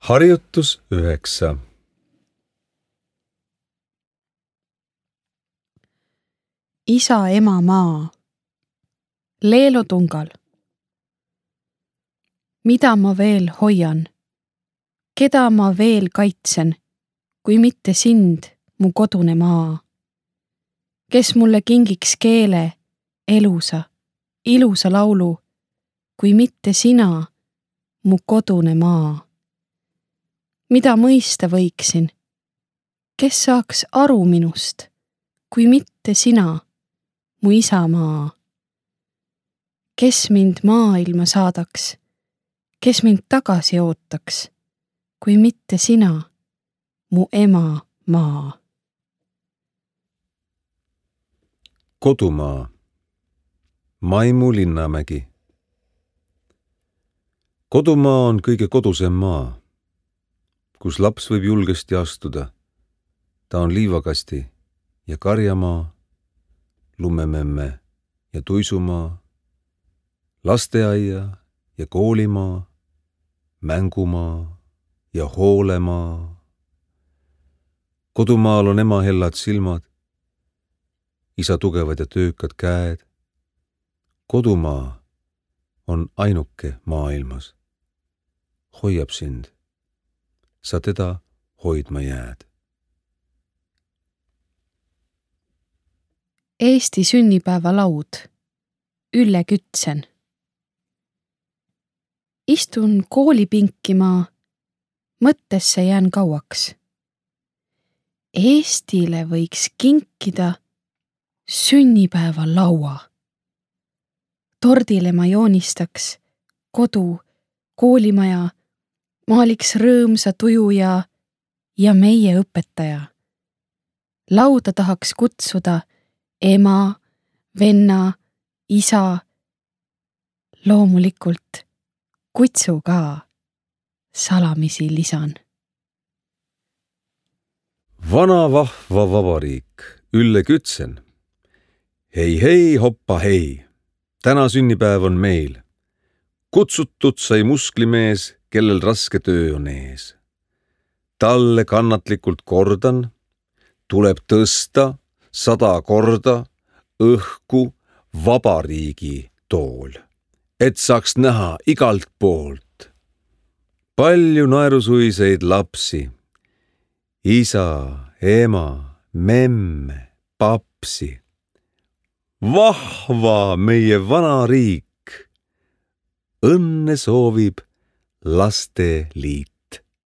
Harjutus 9. Isa, ema, maa. Leelo Tungal. Mida ma veel hoian? Keda ma veel kaitsen, kui mitte sind, mu kodune maa? Kes mulle kingiks keele, ilusa laulu, kui mitte sina, mu kodune maa? Mida mõista võiksin? Kes saaks aru minust, kui mitte sina, mu isamaa? Kes mind maailma saadaks, kes mind tagasi ootaks, kui mitte sina, mu ema maa? Kodumaa. Maimu Linnamägi. Kodumaa on kõige kodusem maa, kus laps võib julgesti astuda. Ta on liivakasti ja karjamaa, lumememme ja tuisumaa, lasteaia ja koolimaa, mängumaa ja hoolemaa. Kodumaal on ema hellad silmad, isa tugevad ja töökad käed. Kodumaa on ainuke maailmas. Hoiab sind. Sa teda hoidma jääd. Eesti sünnipäevalaud. Ülle Kütsen. Istun koolipinki ma, mõttesse jään kauaks. Eestile võiks kinkida sünnipäevalaua. Tordile ma joonistaks kodu, koolimaja, maaliks rõõmsa tuju ja meie õpetaja. Lauda tahaks kutsuda ema, venna, isa, loomulikult kutsu ka, salamisi lisan. Vana vahva vabariik, Ülle Kütsen. Hei, hoppa hei. Täna sünnipäev on meil. Kutsutud sai musklimees, kellel raske töö on ees. Talle kannatlikult kordan, tuleb tõsta 100 korda õhku vabariigi tool, et saaks näha igalt poolt. Palju naerusuiseid lapsi, isa, ema, memme, papsi. Vahva meie vana riik, õnne soovib Lasteliit.